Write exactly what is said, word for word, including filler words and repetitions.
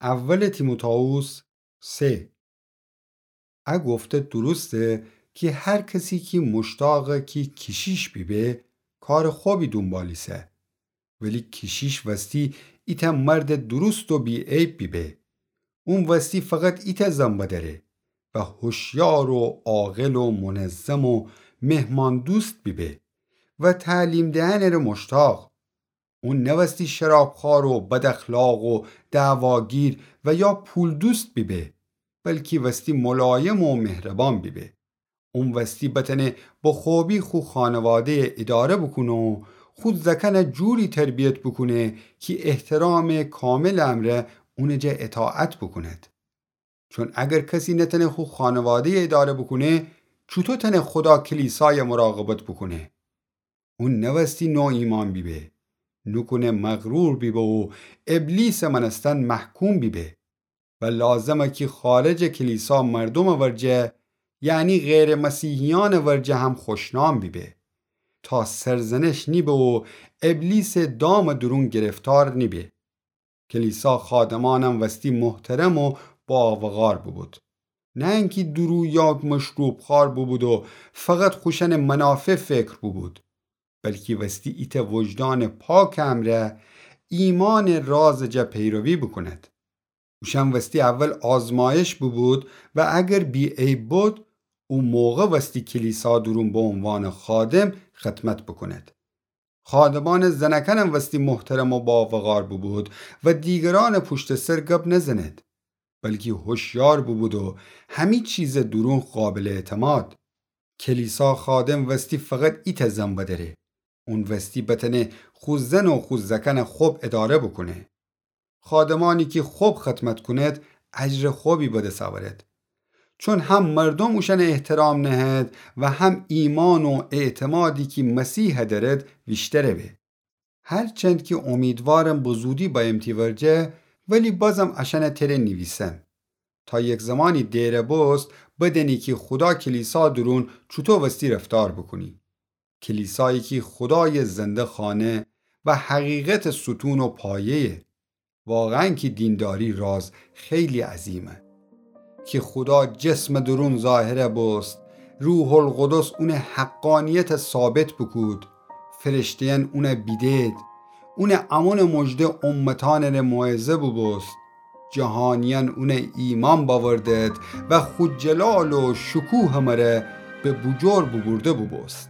اول تیموتائوس سه. ا گفته درسته کی هر کسی کی مشتاقه کی کیشیش بیبه، کار خوبی دونبال ایسه. ولی کیشیش وستی ایتأ مرد درست و بی‌عیب بیبه. اون وستی فقط ایتأ زن بدأره و هوشیار و عاقل و منظم و مهماندوست بیبه و تعلیم دئنٚ ره مشتاق. اون نوستی شرابخوار و بداخلاق و دعواگیر و یا پول‌دوست بیبه، بلکی وستی ملایم و مهربان بیبه. اون وستی بتأنه به خوبی خو خانواده‌یه اداره بوکونه و خو زأکأنه جوری تربیت بوکونه کی احترامٚ کاملٚ امرأ اونٚ جا اطاعت بوکوند. چون اگر کسی نتأنه خو خانواده‌یه اداره بوکونه، چوطو تأنه خودا کلیسایه مراقبت بوکونه؟ اون نوستی نوایمأن بیبه، نوکونه مغرور بیبه و ابلیسٚ مأنستن محکوم بیبه و لازمه کی خارجٚ کلیسا مردومٚ ورجه، یعنی غیرٚ مسیحیأنٚ ورجه هم خوشنام بیبه، تا سرزنش نیبه و ابلیسٚ دامٚ دورون گرفتار نیبه. کلیسا خادمأنم وستی محترم و باوقار بوبود، نه انکی دورو یا مشروب‌خوار بوبود و فقط خوشأنٚ منافع فکر بوبود، بلکی وستی ایتأ وجدانٚ پاکٚ امرأ ایمانٚ رازٚ جا پیروی بوکوند. اوشأن وستی اول آزمایش بوبود و اگر بی‌عیب بود، او موقع وستی کلیسا دورون به عنوانٚ خادم خدمت بوکوند. خادمأنٚ زنأکأنم وستی محترم و باوقار بوبود و دیگرأنٚ پوشتٚ سر گب نزنید، بلکی هوشیار بوبود و همی چیزٚ دورون قابلٚ اعتماد. کلیسا خادم وستی فقط ایتأ زن بدأره. اون وستی بتأنه خو زن و خو زأکأنه خب اداره بوکونه. خادمأنی کی خب خدمت کونید، اجرٚ خبی به دس اورید. چون هم مردوم اوشأنه احترام نهید و هم ایمأن و اعتمادی کی مسیحه دأرید، ویشتره به. هرچند کی امیدوارم به زودی بأیم تی ورجه، ولی بازم اشأنه تره نیویسم، تا یک زمانی دئره بوست بدأنی کی خودا کلیسا دورون چوطو وستی رفتار بوکونی. کلیسایی کی خودایٚ زنده خانه و حقیقتٚ ستون و پایه‌یه. واقعاً کی دینداری راز خیلی عظیمه. کی خودا جسمٚ دورون ظاهر بوست، روح‌القدس اونٚ حقانیت ثابت بوکود، فرشته‌یأن اونه بیدید، اونٚ امونٚ مژده امتأنٚ ره موعظه بوبوست، جهانیأن اونه ایمأن بأوردید و خو جلال و شکوهٚ مره به بوجور بوبورده بوبوست.